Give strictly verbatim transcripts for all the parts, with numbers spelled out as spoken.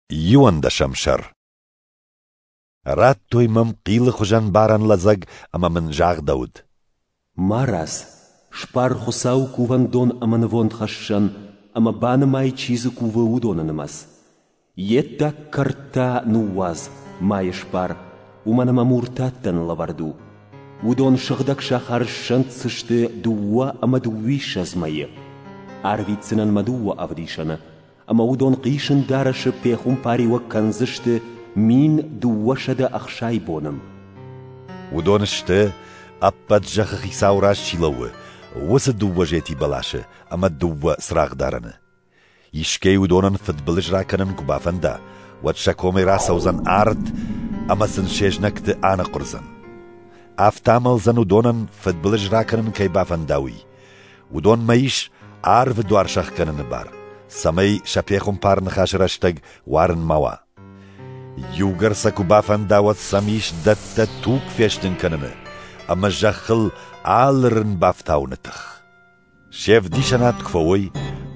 Иуӕндӕсӕм сӕр. Радтой мӕм хъилы хуызӕн барӕн лӕдзӕг ӕмӕ мын загъдӕуыд: Марадз, сбар Хуыцауы кувӕндон ӕмӕ нывондхӕссӕн ӕмӕ банымай, чи дзы кувы, уыдоны нымӕц. Йе ддаг кӕрт та ныууадз, ма йӕ сбар, уымӕн ӕмӕ муртаттӕн лӕвӕрд у. Уыдон сыгъдӕг сахары ссӕнддзысты дыууӕ ӕмӕ дыууиссӕдз мӕйы. Арвитдзынӕн мӕ дыууӕ ӕвдисӕны, ӕмӕ уыдон хъисын дарӕсы пехуымпариуӕг кӕндзысты мин дыууӕсӕдӕ ӕхсай боны. Уыдон сты, ӕппӕт зӕххы хицауы раз чи лӕууы, уыцы дыууӕ зети бӕласы ӕмӕ дыууӕ цырагъдарӕны. Искӕй уыдонӕн фыдбылыз ракӕнын куы бафӕнда, уӕд сӕ комӕй рацӕудзӕн арт ӕмӕ сын се знӕгты аныхъуырдзӕн. Афтӕ амӕлдзӕн уыдонӕн фыдбылыз ракӕнын кӕй бафӕнда, уый. Уыдонмӕ ис арвы дуар сӕхгӕныны бар, цӕмӕй сӕ пехуымпар ныхасы рӕстӕг уарын ма уа. Иугӕр сӕ куы бафӕнда, уӕд сӕм ис дӕттӕ туг фестын кӕныны ӕмӕ зӕххыл алы рын бафтауыны тых. Се вдисӕнад куы фӕуой,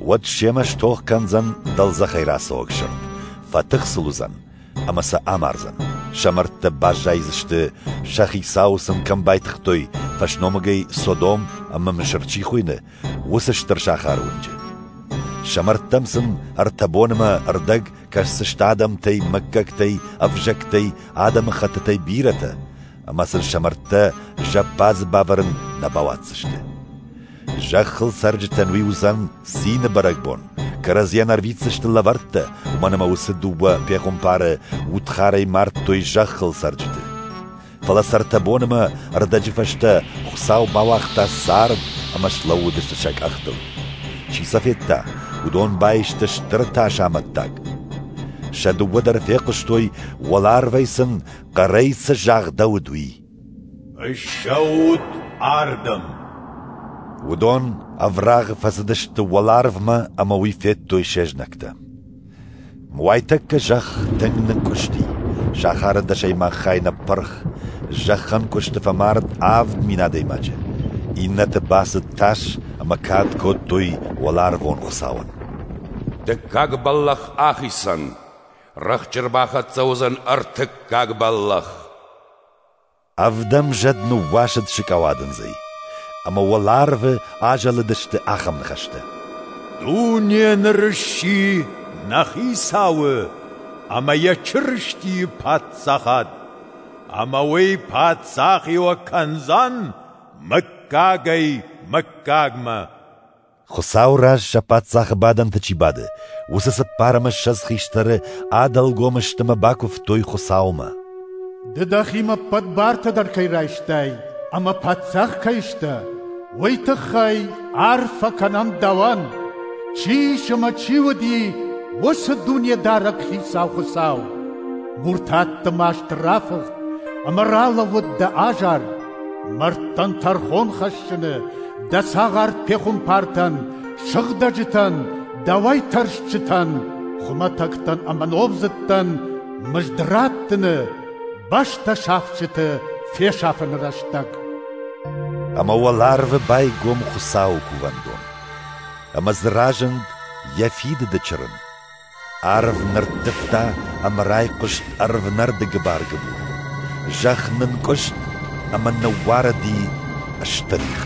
уӕд семӕ стох кӕндзӕн дӕлдзӕхӕй рацӕуӕг сырд, фӕтых сыл уыдзӕн ӕмӕ сӕ амардзӕн. Сӕ мӕрдтӕ баззайдзысты, сӕ хицауы сын кӕм байтыгътой, фӕсномыгӕй Содом ӕмӕ Мысыр чи хуыйны, уыцы стыр сахары уынджы. Сӕ мӕрдтӕм сын ӕртӕ боны ӕмӕ ӕрдӕг кӕсдзысты адӕмтӕй, мыггӕгтӕй, ӕвзӕгтӕй, адӕмыхӕттытӕй бирӕтӕ, ӕмӕ сын сӕ мӕрдтӕ зӕппадзы бавӕрын нӕ бауадздзысты. Зӕххыл цӕрджытӕн уый уыдзӕн цины бӕрӕгбон, кӕрӕдзийӕн ӕрвитдзысты лӕвӕрттӕ, уымӕн ӕмӕ уыцы дыууӕ пехуымпары удхарӕй мардтой зӕххыл цӕрджыты. Фӕлӕ сӕ ӕртӕ боны ӕмӕ ӕрдӕджы фӕстӕ Хуыцау бауагъта цард ӕмӕ слӕууыдысты сӕ къӕхтыл. Чи сӕ федта, уыдон баисты стыр тасы амӕттаг. Сӕ дыууӕ дӕр фехъуыстой, уӕларвӕй сын хъӕрӕй цы загъдӕуыд, уый. Ссӕут ардӕм! Уыдон ӕврагъы фӕцыдысты уӕларвмӕ ӕмӕ уый федтой се знӕгтӕ. Уайтӕккӕ зӕхх тынг нынкъуысти, сахары дӕсӕймаг хай ныппырх, зӕххӕнкъуысты фӕмард авд мин адӕймаджы. Иннӕты бацыд тас ӕмӕ кад кодтой уӕларвон Хуыцауӕн. Дыккаг бӕллӕх ахицӕн, рӕхджы ӕрбахӕццӕ уыдзӕн ӕртыккаг бӕллӕх. Ӕвдӕм зӕд ныууасыд сыкъауадындзӕй, ӕмӕ уӕларвы азӕлыдысты ахӕм ныхӕстӕ: Дуне ныр сси нӕ Хицауы ӕмӕ йӕ Чырыстийы паддзахад, ӕмӕ уый паддзахиуӕг кӕндзӕн мыггагӕй мыггагмӕ. Хуыцауы раз сӕ паддзахы бадӕнты чи бады, уыцы цыппар ӕмӕ ссӕдз хистӕры адӕлгом сты ӕмӕ бакуывтой Хуыцаумӕ. Ды дӕхимӕ ӕппӕт бартӕ дӕр кӕй райстай ӕмӕ паддзах кӕй сдӕ, уый тыххӕй арфӕ кӕнӕм дӕуӕн, чи ис ӕмӕ чи уыди, уыцы Дунедарӕг Хицау Хуыцау. Муртатты маст рафыхт ӕмӕ ралӕууыд дӕ азар, мӕрдтӕн тӕрхон хӕссыны, дӕ цагъар пехуымпартӕн, сыгъдӕджытӕн, дӕуӕй тӕрсджытӕн, хуымӕтӕгтӕн ӕмӕ номдзыдтӕн мызд раттыны, бӕстӕ сафджыты фесафыны рӕстӕг. Ӕмӕ уӕларвы байгом Хуыцауы кувӕндон, ӕмӕ дзы разынд йӕ фидыды чырын. Арв нырттывта ӕмӕ райхъуыст ӕрвнӕрды гыбар-гыбур. Зӕхх нынкъуыст ӕмӕ ныууарыди стыр их.